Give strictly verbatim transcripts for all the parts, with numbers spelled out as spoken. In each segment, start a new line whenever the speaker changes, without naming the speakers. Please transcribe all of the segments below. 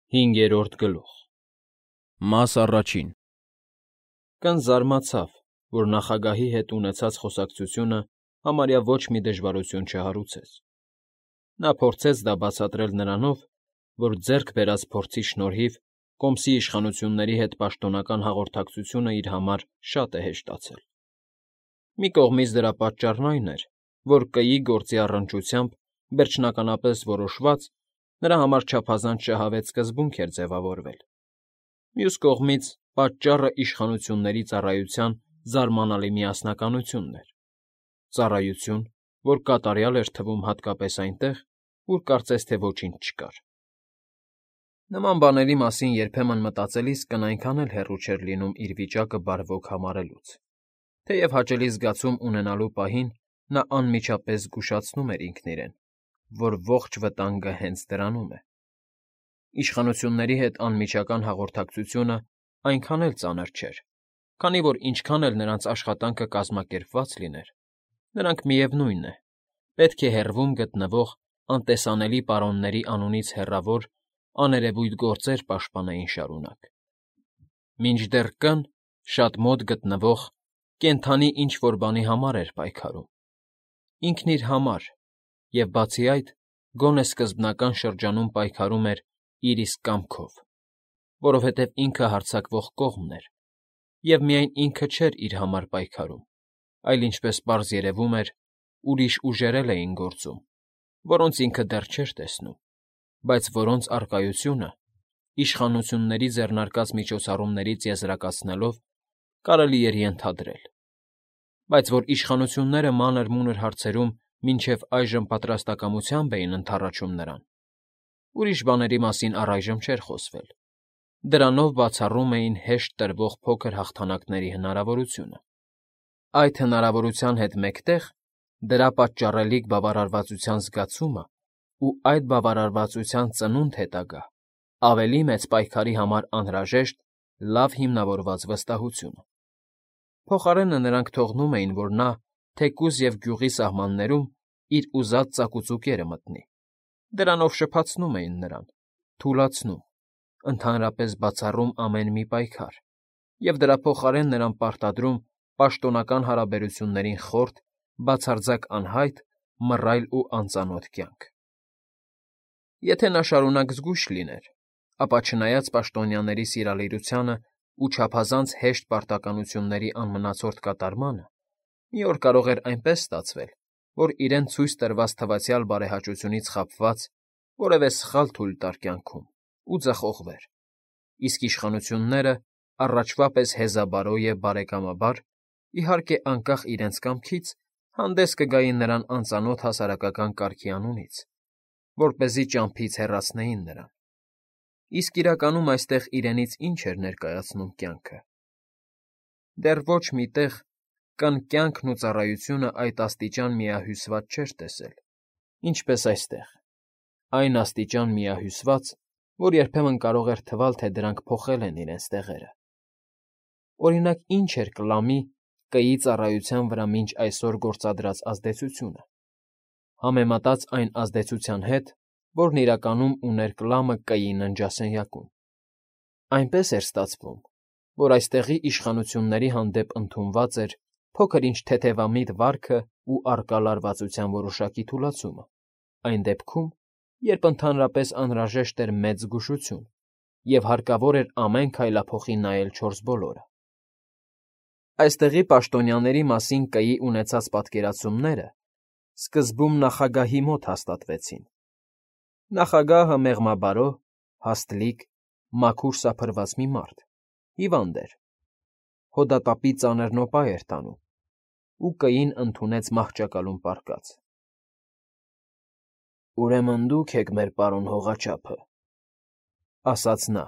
Հինգերորդ գլուխ Մաս առաջին Կան զարմացավ, որ նախագահի հետ ունեցած խոսակցությունը համարյա ոչ մի դժվարություն չհարուցեց. նա փորձեց դա բացատրել նրանով, որ ձեռք բերած փորձի շնորհիվ կոմսի իշխանությունների հետ պաշտոնական հաղորդակցությունը իր համար շատ է հեշտացել. մի կողմից դրա պատճառն այն էր, որ կգի գործի առնչությամբ վերջնականապես որոշված, նրա համար չափազանց շահավետ սկզբունք էր ձևավորվել, մյուս կողմից պատճառը իշխանությունների ծառայության զարմանալի միասնականությունն էր, ծառայություն, որ կատարյալ էր թվում հատկապես այնտեղ, ուր կարծես թե ոչինչ չկար. Նման բաների մասին երբեմն մտածելիս կն այնքան էլ հեռու չէր լինում իր վիճակը բարվոք համարելուց, թեև հաճելի զգացում ունենալու պահին նա անմիջապես զգուշացնում էր ինքն իրեն, որ ողջ վտանգը հենց դրանում է. իշխանությունների հետ անմիջական հաղորդակցությունը այնքան էլ ծանր չէր, քանի որ ինչքան էլ նրանց աշխատանքը կազմակերպված լիներ, նրանք, միևնույն է, պետք է հեռվում գտնվող անտեսանելի պարոնների անունից հեռավոր աներևույթ գործեր պաշտպանեին շարունակ, մինչդեռ կն շատ մոտ գտնվող կենդանի ինչ֊որ բանի համար էր պայքարում, ինքն իր համար և, բացի այդ, գոնե սկզբնական շրջանում պայքարում էր իր իսկ կամքով, որովհետև ինքը հարձակվող կողմն էր, և միայն ինքը չէր իր համար պայքարում, այլ, ինչպես պարզ երևում էր, ուրիշ ուժեր էլ էին գործում, որոնց ինքը դեռ չէր տեսնում, բայց որոնց առկայությունը, իշխանությունների ձեռնարկած միջոցառումներից եզրակացնելով, կարելի էր ենթադրել, բայց որ իշխանությունները մանր֊մունր հարցերում մինչև այժմ պատրաստակամությամբ էին ընդառաջում նրան, ուրիշ բաների մասին առայժմ չէր խոսվել, դրանով բացառում էին հեշտ տրվող փոքր հաղթանակների հնարավորությունը, այդ հնարավորության հետ մեկտեղ դրա պատճառելիք բավարարվածության զգացումն ու այդ բավարարվածության ծնունդ հետագա, ավելի մեծ պայքարի համար անհրաժեշտ լավ հիմնավորված վստահությունը, փոխարենը նրանք թողնում էին, որ նա, թեկուզ և գյուղի սահմաններում, իր ուզած ծակուծուկերը մտնի, դրանով շփացնում էին նրան, թուլացնում, ընդհանրապես բացառում ամեն մի պայքար և դրա փոխարեն նրան պարտադրում պաշտոնական հարաբերություններին խորտ, բացարձակ անհայտ, մռայլ ու անծանոթ կյանք. Եթե նա շարունակ զգույշ լիներ, ապա չնայած պաշտոնյաների սիրալիրությանն ու չափազանց հեշտ պարտականությունների անմնացորդ կատարմանը, մի օր կարող էր այնպես ստացվել, որ իրեն ցույց տրված թվացյալ բարեհաճությունից խաբված որևէ սխալ թույլ տար կյանքում ու ձախողվեր, իսկ իշխանությունները, առաջվա պես հեզաբարո և բարեկամաբար, իհարկե անկախ իրենց կամքից, հանդես կգային նրան անծանոթ հասարակական կարգի անունից, որպեսզի ճամփից հեռացնեին նրան, իսկ իրականում այստեղ իրենից ինչ էր ներկայացնում կյանքը. դեռ ոչ մի տեղ կն կյանքն ու ծառայությունն այդ աստիճան միահյուսված չէր տեսել, ինչպես այստեղ, այն աստիճան միահյուսված, որ երբեմն կարող էր թվալ, թե դրանք փոխել են իրենց տեղերը. օրինակ, ինչ էր կլամի կգի ծառայության վրա մինչ այսօր գործադրած ազդեցությունը, համեմատած այն ազդեցության հետ, որն իրականում ուներ կլամը կգի ննջասենյակում, այնպես էր ստացվում, որ այստեղի իշխանությունների հանդեպ ընդունված էր փոքր-ինչ թեթևամիտ վարքն ու առկա լարվածության որոշակի թուլացումը, այն դեպքում, երբ ընդհանրապես անհրաժեշտ էր մեծ զգուշություն և հարկավոր էր ամեն քայլափոխի նայել չորսբոլորը. Այստեղի պաշտոնյաների մասին կգի ունեցած պատկերացումները սկզբում նախագահի մոտ հաստատվեցին. նախագահը մեղմաբարո, հաստլիկ, մաքուր սափրված մի մարդ, հիվանդ էր, հոդատապի ծանր նոպա էր տանում ու կգին ընդունեց մահճակալում պառկած. «Ուրեմն դուք եք մեր պարոն հողաչափը,֊ ասաց նա,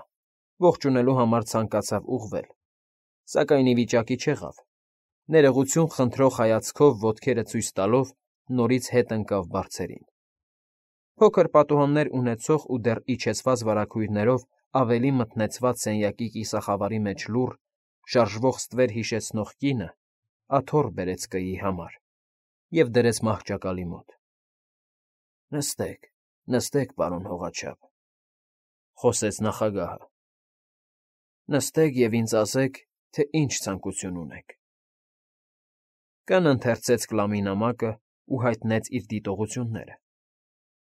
ողջունելու համար ցանկացավ ուղղվել, սակայն ի վիճակի չեղավ, ներողություն խնդրող հայացքով ոտքերը ցույց տալով նորից հետ ընկավ բարձերին. փոքր պատուհաններ ունեցող ու դեռ իջեցված վարագույրներով ավելի մթնեցված սենյակի կիսախավարի մեջ լուռ, շարժվող ստվեր հիշեցնող կինը աթոռ բերեց կգի համար և դրեց մահճակալի մոտ. «Նստեք, նստեք, պարոն հողաչափ»։ խոսեց նախագահը։ Նստեք և ինձ ասեք, թե ինչ ցանկություն ունեք։ Կն ընթերցեց կլամի նամակն ու հայտնեց իր դիտողությունները։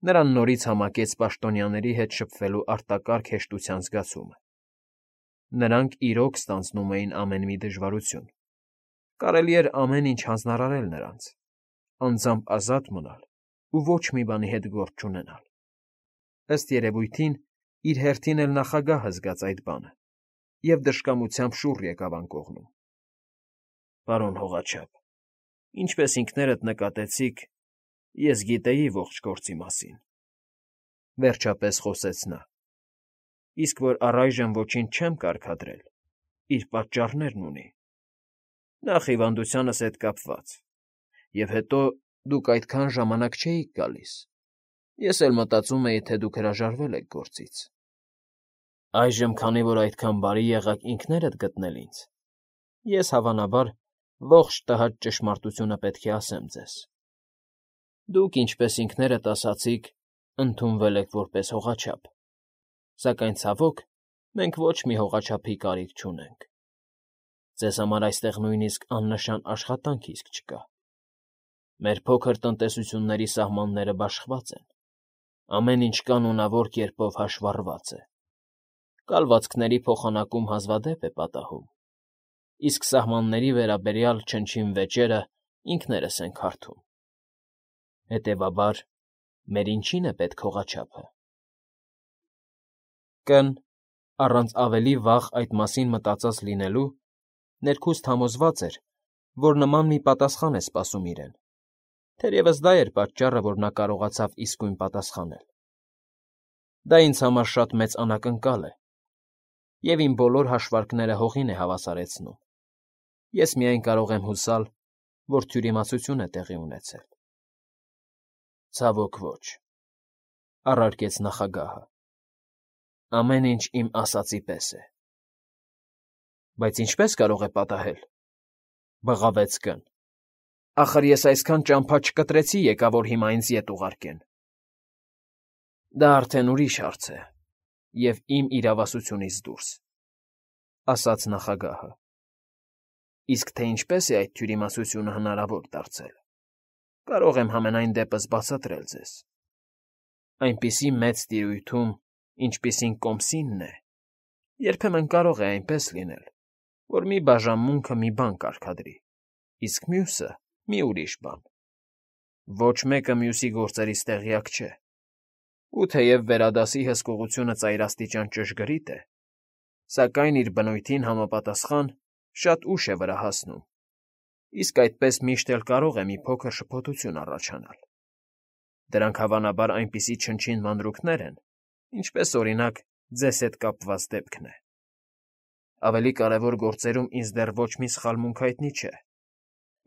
Նրան նորից համակեց պաշտոնյաների հետ շփվելու արտակարգ հեշտության զգացումը։ Նրանք իրոք ստանձնում էին ամեն մի դժվարություն։ Կարելի էր ամեն ինչ հանձնարարել նրանց, անձամբ ազատ մնալ ու ոչ մի բանի հետ գործ չունենալ։ Ըստ երևույթին, իր հերթին էլ նախագահը զգաց այդ բանը և դժկամությամբ շուռ եկավ անկողնում։ Պարոն հողաչափ, ինչպես ինքներդ նկատեցիք, ես գիտեի ողջ գործի մասին, վերջապես խոսեց նա, իսկ որ առայժմ ոչինչ չեմ կարգադրել, իր պատճառներն ունի։ Նախ հիվանդությանս հետ կապված, և հետո դուք այդքան ժամանակ չէիք գալիս, ես էլ մտածում էի, թե դուք հրաժարվել եք գործից։ Այժմ, քանի որ այդքան բարի եղաք ինքներդ գտնել ինձ, ես, հավանաբար, ողջ տհաճ ճշմարտությունը պետք է ասեմ ձեզ. դուք, ինչպես ինքներդ ասացիք, ընդունվել եք որպես հողաչափ, սակայն, ցավոք, մենք ոչ մի հողաչափի կարիք չունենք։ Ձեզ համար այստեղ նույնիսկ աննշան աշխատանք իսկ չկա։ Մեր փոքր տնտեսությունների սահմանները բաշխված են, ամեն ինչ կանոնավոր կերպով հաշվառված է։ Կալվածքների փոխանակում հազվադեպ է պատահում, իսկ սահմանների վերաբերյալ չնչին վեճերը ինքներս ենք հարթում։ Հետևաբար, մեր ինչի՞ն է պետք հողաչափը։ Կն, առանց ավելի վաղ այդ մասին մտածած լինելու, ներքուստ համոզված էր, որ նման մի պատասխան է սպասում իրեն, թերևս դա էր պատճառը, որ նա կարողացավ իսկույն պատասխանել։ Դա ինձ համար շատ մեծ անակնկալ է, և իմ բոլոր հաշվարկները հողին է հավասարեցնում։ Ես միայն կարող եմ հուսալ, որ թյուրիմացություն է տեղի ունեցել։ Ցավոք ոչ, առարկեց նախագահը։ Ամեն ինչ իմ ասածի պես է։ Բայց ինչպե՞ս կարող է պատահել, բղավեց Կն։ Ախր ես այսքան ճամփա չկտրեցի եկա, որ հիմա ինձ ետ ուղարկեն։ Դա արդեն ուրիշ հարց է և իմ իրավասությունից դուրս, ասաց նախագահը։ Իսկ թե ինչպես է այդ թյուրիմասությունը հնարավոր դարձել, կարող եմ համենայն դեպս բացատրել ձեզ։ Այնպիսի մեծ տիրույթում, ինչպիսին Կոմսինն է, երբեմն կարող է այնպես լինել, որ մի բաժանմունքը մի բան կարգադրի, իսկ մյուսը՝ մի ուրիշ բան։ Ոչ մեկը մյուսի գործերից տեղյակ չէ։ Ու թեև վերադասի հսկողությունը ծայրաստիճան ճշգրիտ է, սակայն իր բնույթին համապատասխան շատ ուշ է վրա հասնում, իսկ այդպես միշտ էլ կարող է մի փոքր շփոթություն առաջանալ։ Դրանք հավանաբար այնպիսի չնչին մանրուքներ են, ինչպես, օրինակ, ձեզ հետ կապված դեպքն է։ Ավելի կարևոր գործերում ինձ դեռ ոչ մի սխալմունք հայտնի չէ,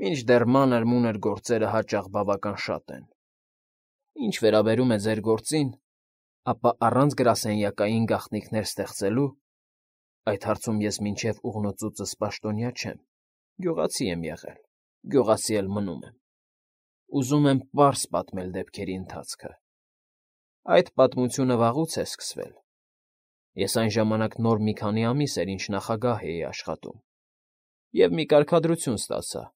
մինչդեռ մանր֊մունր գործերը հաճախ բավական շատ են։ Ինչ վերաբերում է ձեր գործին, ապա առանց գրասենյակային գաղտնիքներ ստեղծելու, այդ հարցում ես մինչև ուղնոցուծս պաշտոնյա չեմ, գյուղացի եմ եղել, գյուղացի էլ մնում եմ։ Ուզում եմ պարզ պատմել դեպքերի ընթացքը։ Այդ պատմությունը վաղուց է սկսվել։ Ես այն ժամանակ նոր մի քանի ամիս էր, ինչ նախագահ էի աշխատում, և մի կարգադրություն ստացա։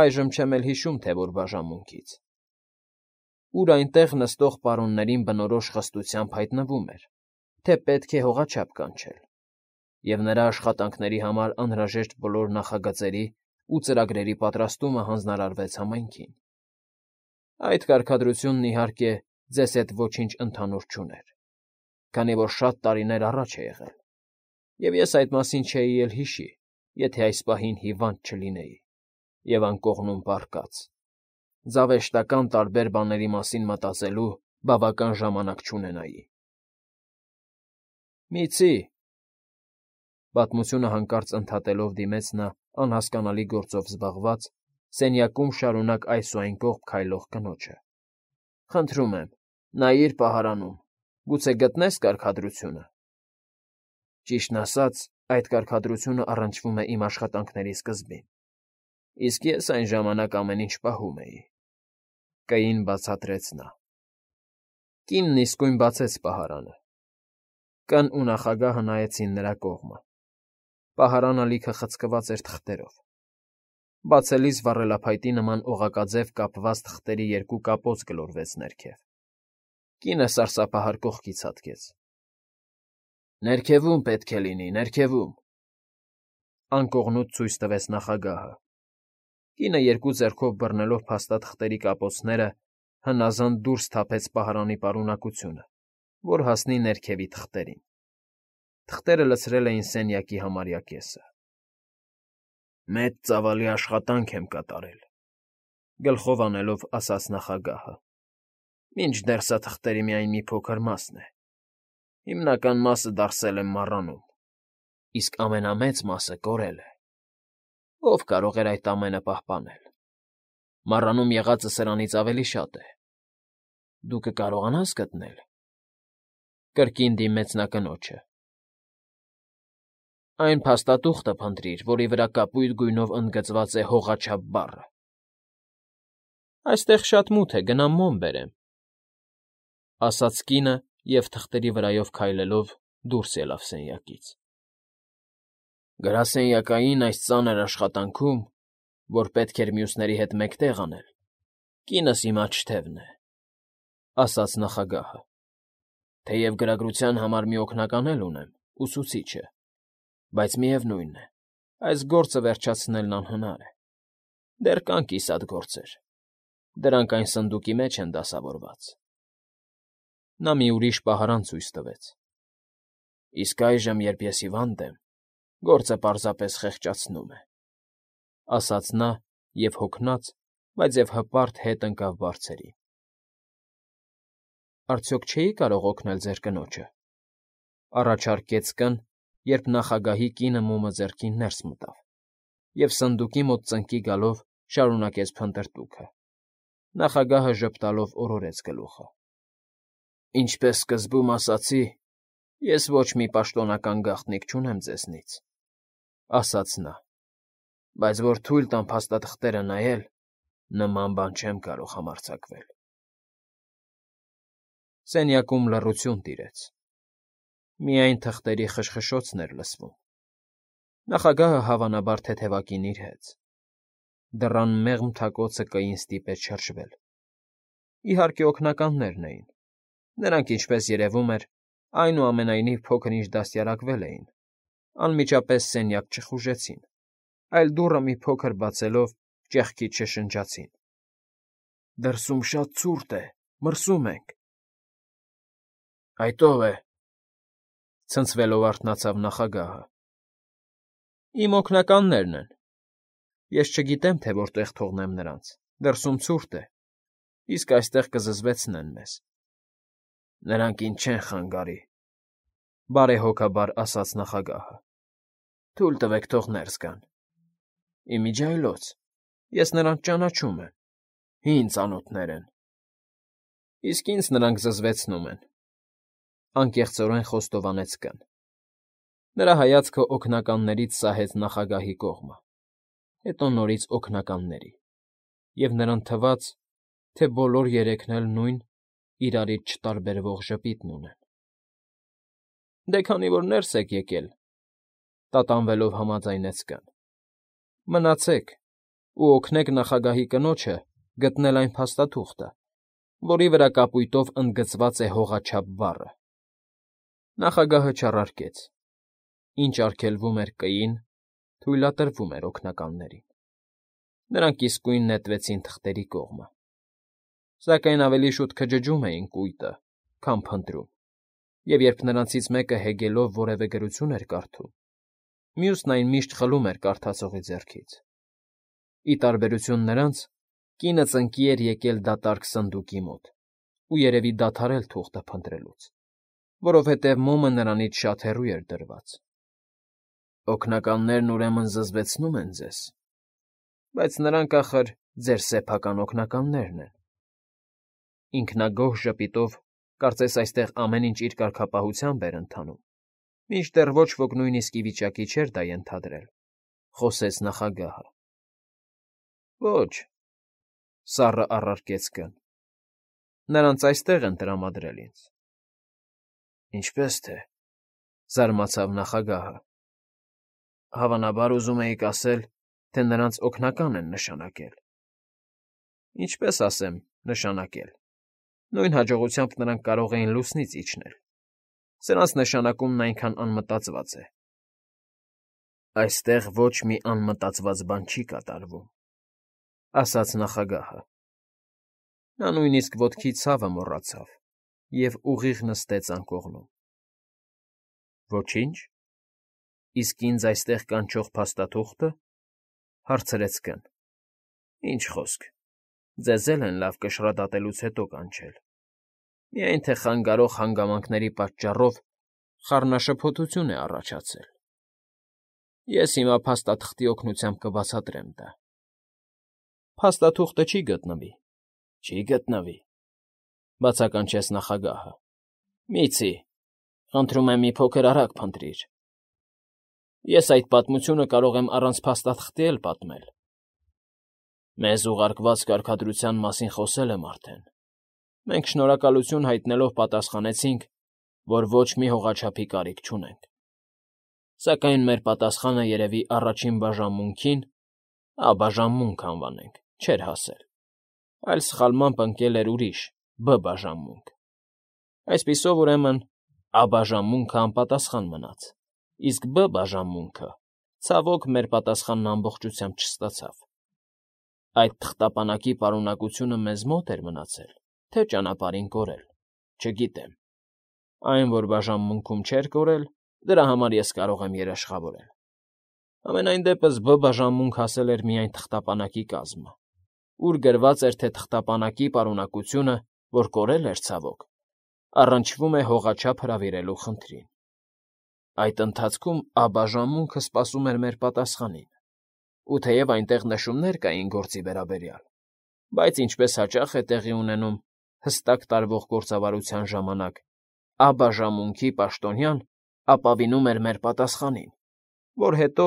Այժմ չեմ էլ հիշում, թե որ բաժանմունքից, ուր այնտեղ նստող պարոններին բնորոշ խստությամբ հայտնվում էր, թե պետք է հողաչափ կանչել, և նրա աշխատանքների համար անհրաժեշտ բոլոր նախագծերի ու ծրագրերի պատրաստումը հանձնարարվեց համայնքին։ Այդ կարգադրությունն, իհարկե, ձեզ հետ ոչինչ ընդհանուր չուներ, քանի որ շատ տարիներ առաջ է եղել, և ես այդ մասին չէի էլ հիշի, եթե այս պահին հիվանդ չլինեի և անկողնում պառկած, զավեշտական տարբեր բաների մասին մտածելու բավական ժամանակ չունենայի։ Միցի՛, պատմությունը հանկարծ ընդհատելով դիմեց նա անհասկանալի գործով զբաղված, սենյակում շարունակ այս ու այն կողմ քայլող կնոջը։ Խնդրում եմ, նայիր պահարանում, գուցե գտնես կարգադրությունը։ Ճիշտն ասած, այդ կարգադրությունը առնչվում է իմ աշխատանքների սկզբին, իսկ ես այն ժամանակ ամեն ինչ պահում էի,֊ կային բացատրեց նա։ Կինն իսկույն բացեց պահարանը, Կն ու նախագահը նայեցին նրա կողմը։ Պահարանը լիքը խցկված էր թղթերով։ Բացելիս վառելափայտի նման օղակաձև կապված թղթերի երկու կապոց գլորվեց ներքև։ Կինը սարսափահար կողքից հատկեց։ Ներքևում պետք է լինի, ներքևում… Անկողնուց ցույց տվեց նախագահը։ Կինը երկու ձեռքով բռնելով փաստաթղթերի կապոցները հնազանդ դուրս թափեց պահարանի պարունակությունը, որ հասնի ներքևի թղթերին։ Թղթերը լցրել էին սենյակի համարյա կեսը։ Մեծ ծավալի աշխատանք եմ կատարել, գլխով անելով ասաց նախագահը։ Մինչդեռ սա թղթերի միայն մի փոքր մասն է։ Հիմնական մասը դարսել եմ մառանում, իսկ ամենամեծ մասը կորել է։ Ո՞վ կարող էր այդ ամենը պահպանել։ Մառանում եղածը սրանից ավելի շատ է։ Դու կկարողանա՞ս գտնել… Կրկին դիմեց նա կնոջը։ Այն փաստաթուղթը փնտրիր, որի վրա կապույտ գույնով ընդգծված է հողաչափ բառը։ Այստեղ շատ մութ է, գնամ մոմ բերեմ, ասաց կինը և թղթերի վրայով քայլելով դուրս ելավ սենյակից։ Գրասենյակային այս ծանր աշխատանքում, որ պետք էր մյուսների հետ մեկտեղ անել, կինս իմ աչթևն է, ասաց նախագահը։ Թեև գրագրության համար մի օգնական էլ ունեմ, ուսուցիչը, բայց միևնույն է, այս գործը վերջացնելն անհնար է։ Դեռ կան կիսատ գործեր, դրանք այն սնդուկի մեջ են դասավորված։ Նա մի ուրիշ պահարան ցույց տվեց։ Իսկ այժմ, երբ ես հիվանդ եմ, գործը պարզապես խեղճացնում է, ասաց նա և հոգնած, բայց և հպարտ հետ ընկավ բարձրին։ Արդյոք չէի՞ կարող օգնել ձեր կնոջը, առաջարկեց կն, երբ նախագահի կինը մոմը ձեռքին ներս մտավ և սնդուկի մոտ ծնկի գալով շարունակեց փնտրտուքը։ Նախագահը ժպտալով օրորեց գլուխը։ Ինչպես սկզբում ասացի, ես ոչ մի պաշտոնական գաղտնիք չունեմ ձեզնից, ասաց նա, բայց որ թույլ տամ փաստաթղթերը նայել, նման բան չեմ կարող համարձակվել։ Սենյակում լռություն տիրեց։ Միայն թղթերի խշխշոցն էր լսվում։ Նախագահը հավանաբար թեթևակին իր հեծ։ Դռան մեղմ թակոցը կային ստիպեց շրջվել։ Իհարկե, օգնականներն էին։ Նրանք, ինչպես երևում էր, այնուամենայնիվ փոքր-ինչ դաստիարակվել էին, անմիջապես սենյակ չխուժեցին, այլ դուռը մի փոքր բացելով ճեղքից շշնջացին. Դրսում շատ ցուրտ է, մրսում ենք։ Այդ ո՞վ է,֊ ցնցվելով արթնացավ նախագահը։ Իմ օգնականներն են։ Ես չգիտեմ, թե որտեղ թողնեմ նրանց, դրսում ցուրտ է, իսկ այստեղ կզզվեցնեն մեզ։ Նրանք ինձ չեն խանգարի,֊ բարեհոգաբար ասաց նախագահը։ Թույլ տվեք թող ներս գան։ Իմիջիայլոց, ես նրանց ճանաչում եմ, հին ծանոթներ են։ Իսկ ինձ նրանք զզվեցնում են,֊ անկեղծորեն խոստովանեց կն։ Նրա հայացքը օգնականներից սահեց նախագահի կողմը, հետո նորից օգնականների, և նրան թվաց, թե բոլոր երեքն էլ նույն, իրարից չտարբերվող ժպիտն ունեն։ Դե քանի որ ներս եք եկել,֊ տատանվելով համաձայնեց կն,֊ մնացեք ու օգնեք նախագահի կնոջը գտնել այն փաստաթուղթը, որի վրա կապույտով ընդգծված է հողաչափ բառը։ Նախագահը չառարկեց։ Ինչ արգելվում էր կին, թույլատրվում էր օգնականներին։ Նրանք իսկույն նետվեցին թղթերի կողմը։ Սակայն ավելի շուտ քջջում էին կույտը, քան փնտրում, և երբ նրանցից մեկը հեգելով որևէ գրություն էր կարդում, մյուսն այն միշտ խլում էր կարդացողի ձեռքից։ Ի տարբերություն նրանց, կինը ծնկի էր եկել դատարկ սնդուկի մոտ ու երևի դադարել թուղթը փնտրելուց, որովհետև մոմը նրանից շատ հեռու էր դրված։ Օգնականներն ուրեմն զզվեցնում են ձեզ, բայց նրանք, ախր, ձեր սեփական օգնականներն են։ Ինքնագոհ ժպիտով, կարծես այստեղ ամեն ինչ իր կարգապահությամբ էր ընթանում, մինչդեռ ոչ ոք նույնիսկ ի վիճակի չէր դա ենթադրել, խոսեց նախագահը։ Ոչ,֊ սառը առարկեց կն,֊ նրանց այստեղ են տրամադրել ինձ։ Ինչպե՞ս թե, Զարմացավ նախագահը։ Հավանաբար ուզում էիք ասել, թե նրանց օգնական են նշանակել։ Ինչպես ասեմ, նշանակել։ Նույն հաջողությամբ նրանք կարող էին լուսնից իջնել։ Սրանց նշանակումն այնքան անմտածված է։ Այստեղ ոչ մի անմտածված բան չի կատարվում, ասաց նախագահը։ Նա նույնիսկ ոտքի ցավը մոռացավ և ուղիղ նստեց անկողնում։ Ոչինչ։ Իսկ ինձ այստեղ կանչող փաստաթուղթը,֊ հարցրեց Կ֊ն։ Ինչ խոսք, ձեզ էլ են լավ կշռադատելուց հետո կանչել, միայն թե խանգարող հանգամանքների պատճառով խառնաշփոթություն է առաջացել։ Ես հիմա փաստաթղթի օգնությամբ կբացատրեմ դա։ Փաստաթուղթը չի գտնվի, չի գտնվի,֊ բացականչեց նախագահը։ Միցի, խնդրում եմ մի փոքր արագ փնտրիր։ Ես այդ պատմությունը կարող եմ առանց փաստաթղթի էլ պատմել։ Մեզ ուղարկված կարգադրության մասին խոսել եմ արդեն։ Մենք շնորհակալություն հայտնելով պատասխանեցինք, որ ոչ մի հողաչափի կարիք չունենք։ Սակայն մեր պատասխանը երևի առաջին բաժանմունքին, ա֊բաժանմունք անվանենք, չէր հասել, այլ սխալմամբ ընկել էր ուրիշ, բ֊բաժանմունք։ Այսպիսով, ուրեմն, ա֊բաժանմունքը անպատասխան մնաց, իսկ բ֊բաժանմունքը, ցավոք, մեր պատասխանն ամբողջությամբ չստացավ։ Այդ թղթապանակի պարունակությունը մեզ մոտ էր մնացել, թե ճանապարհին կորել, չգիտեմ։ Այն, որ բաժանմունքում չէր կորել, դրա համար ես կարող եմ երաշխավորել։ Համենայն դեպս բ֊բաժանմունք հասել էր միայն թղթապանակի կազմը, ուր գրված էր, թե թղթապանակի պարունակությունը, որ կորել էր, ցավոք, առնչվում է հողաչափ հրավիրելու խնդրին։ Այդ ընթացքում ա֊բաժանմունքը սպասում էր մեր պատասխանին, ու թեև այնտեղ նշումներ կային գործի վերաբերյալ, բայց ինչպես հաճախ է տեղի ունենում հստակ տարվող գործավարության ժամանակ, ա֊բաժանմունքի պաշտոնյան ապավինում էր մեր պատասխանին, որ հետո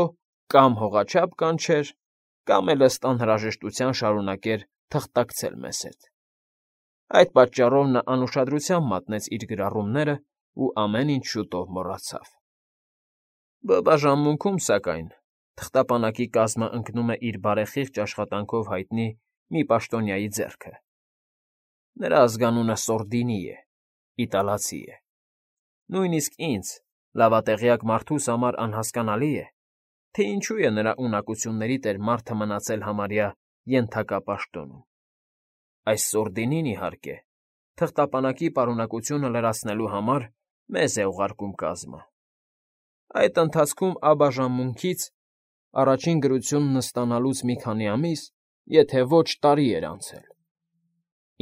կամ հողաչափ կանչեր, կամ էլ ըստ անհրաժեշտության շարունակեր թղթակցել մեզ հետ։ Այդ պատճառով նա անուշադրությամբ մատնեց իր գրառումներն ու ամեն ինչ շուտով մոռացավ։ Բ֊բաժանմունքում, սակայն, թղթապանակի կազմը ընկնում է իր բարեխիղճ աշխատանքով հայտնի մի պաշտոնյայի ձեռքը։ Նրա ազգանունը Սորդինի է, իտալացի է։ Նույնիսկ ինձ, լավատեղյակ մարդուս համար անհասկանալի է, թե ինչու է նրա ունակությունների տեր մարդը մնացել համարյա ենթակապաշտոնում։ Այս Սորդինին, իհարկե, թղթապանակի պարունակությունը լրացնելու համար մեզ է ուղարկում կազմը։ Այդ ընթացքում ա֊բաժանմունքից առաջին գրությունն ստանալուց մի քանի ամիս, եթե ոչ տարի էր անցել։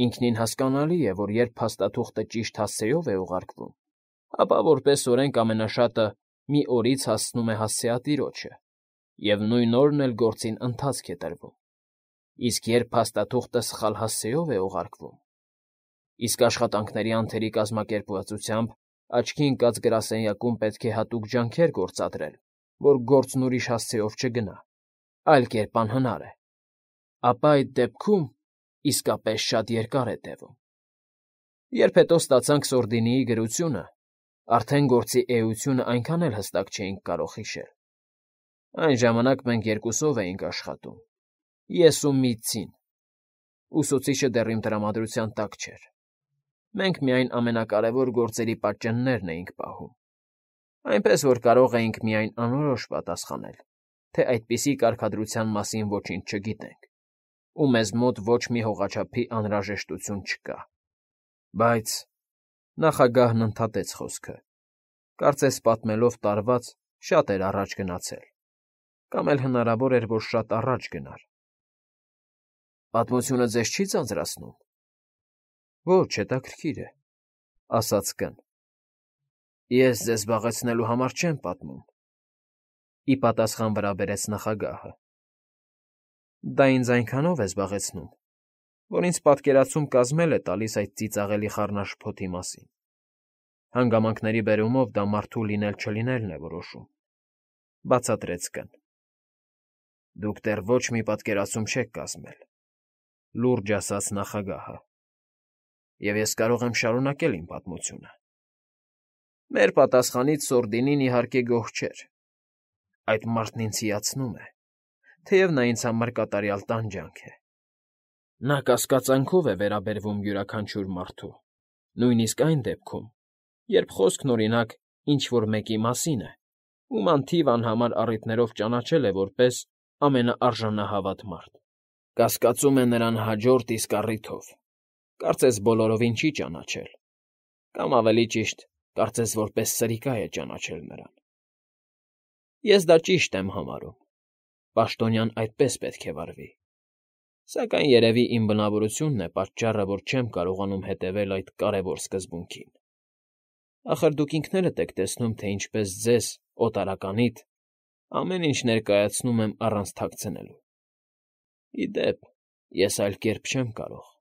Ինքնին հասկանալի է, որ երբ փաստաթուղթը ճիշտ հասցեով է ուղարկվում, ապա որպես օրենք ամենաշատը մի օրից հասնում է հասցեատիրոջը, և նույն օրն էլ գործին ընթացք է տրվում։ Իսկ երբ փաստաթուղթը սխալ հասցեով է ուղարկվում, իսկ աշխատանքների անթերի կազմակերպվածությամբ աչքի ընկած գրասենյակում պետք է հատուկ ջանքեր գործադրել, որ գործն ուրիշ հասցեով չգնա, այլ կերպ անհնար է, ապա այդ դեպքում իսկապես շատ երկար է տևում։ Երբ հետո ստացանք Սորդինիի գրությունը, արդեն գործի էությունը այնքան էլ հստակ չէինք կարող հիշել։ Այն ժամանակ մենք երկուսով էինք աշխատում, ես ու Միցին, ուսուցիչը դեռ իմ տրամադրության տակ չէր։ Մենք միայն ամենակարևոր գործերի պատճեններն էինք պահում, այնպես որ կարող էինք միայն անորոշ պատասխանել, թե այդպիսի կարգադրության մասին ոչինչ չգիտենք, ու մեզ մոտ ոչ մի հողաչափի անհրաժեշտություն չկա։ Բայց,֊ նախագահն ընդհատեց խոսքը, կարծես պատմելով տարված շատ էր առաջ գնացել, կամ էլ հնարավոր էր, որ շատ առաջ գնար։ Պատմությունը ձեզ չի ձանձրացնում։ Ոչ, հետաքրքիր է,֊ ասաց Կ֊ն։ Ես ձեզ զբաղեցնելու համար չեմ պատմում,֊ ի պատասխան վրա բերեց նախագահը։ Դա ինձ այնքանով է զբաղեցնում, որ ինձ պատկերացում կազմել է տալիս այդ ծիծաղելի խառնաշփոթի մասին։ Հանգամանքների բերումով դա մարդու լինել֊չլինելն է որոշում,֊ բացատրեց Կ֊ն։ Դուք դեռ ոչ մի պատկերացում չեք կազմել,֊ լուրջ ասաց նախագահը,֊ և ես կարող եմ շարունակել իմ պատմությունը։ Մեր պատասխանից սորդինին, իհարկե, գոհ չէր. այդ մարդն ինձ հիացնում է, թեև նա ինձ համար կատարյալ տանջանք է. նա կասկածանքով է վերաբերվում յուրաքանչյուր մարդու, նույնիսկ այն դեպքում, երբ խոսքն, օրինակ, ինչ֊որ մեկի մասին է, ում անթիվ անհամար առիթներով ճանաչել է որպես ամենաարժանահավատ մարդ, կասկածում է նրան հաջորդ իսկ առիթով, կարծես բոլորովին չի ճանաչել, կամ ավելի ճիշտ, կարծես որպես սրիկա է ճանաչել նրան։ Ես դա ճիշտ եմ համարում, պաշտոնյան այդպես պետք է վարվի, սակայն երևի իմ բնավորությունն է պատճառը, որ չեմ կարողանում հետևել այդ կարևոր սկզբունքին։ Ախր դուք ինքներդ եք տեսնում, թե ինչպես ձեզ, օտարականիդ, ամեն ինչ ներկայացնում եմ առանց թաքցնելու։ Ի դեպ, ես այլ կերպ չեմ կարող։